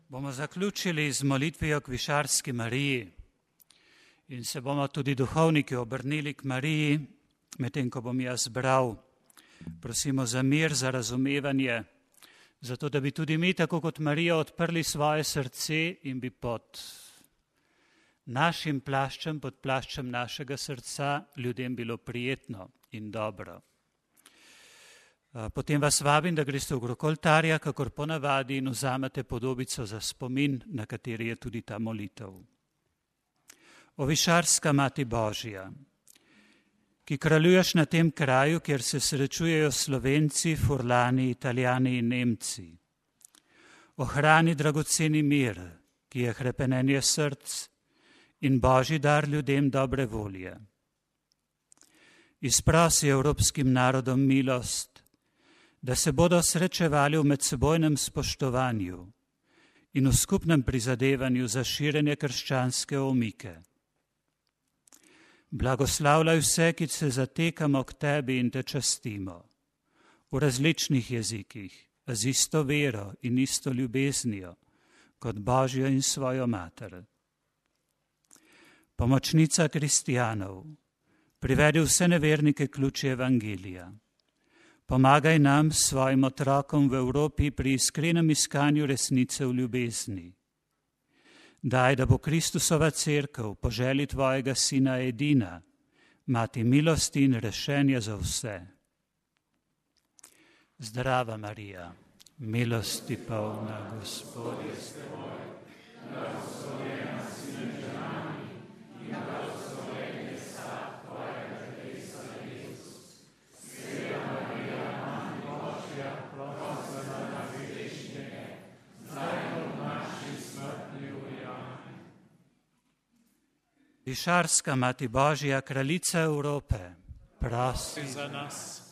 Bomo zaključili z molitvijo k Višarski Mariji in se bomo tudi duhovniki obrnili k Mariji, medtem ko bom jaz bral. Prosimo za mir, za razumevanje, zato da bi tudi mi, tako kot Marija, odprli svoje srce in bi pod našim plaščem, pod plaščem našega srca ljudem bilo prijetno in dobro. Potem vas vabim, da greste v krog oltarja, kakor ponavadi, in vzamete podobico za spomin, na kateri je tudi ta molitev. O Višarska Mati Božja, ki kraljuješ na tem kraju, kjer se srečujejo Slovenci, Furlani, Italijani in Nemci. Ohrani dragoceni mir, ki je hrepenenje src in Božji dar ljudem dobre volje. Izprosi evropskim narodom milost, da se bodo srečevali v medsebojnem spoštovanju in v skupnem prizadevanju za širjenje krščanske omike. Blagoslavljaj vse, ki se zatekamo k tebi in te častimo, v različnih jezikih, z isto vero in isto ljubeznijo, kot Božjo in svojo mater. Pomočnica kristijanov, privedi vse nevernike k luči evangelija. Pomagaj nam, svojim otrokom v Evropi, pri iskrenem iskanju resnice v ljubezni. Daj, da bo Kristusova cerkev po želji tvojega sina edina, mati milosti in rešenja za vse. Zdrava Marija, milosti polna, Gospod je s teboj, blagoslovljena si med ženami in blagoslovljen je sad tvojega telesa, Jezus. Sveta Marija, Mati Božja, prosi za nas grešnike, zdaj in v naši smrtni uri. Amen. Višarska Mati Božja, kraljica Evrope, prosi za nas.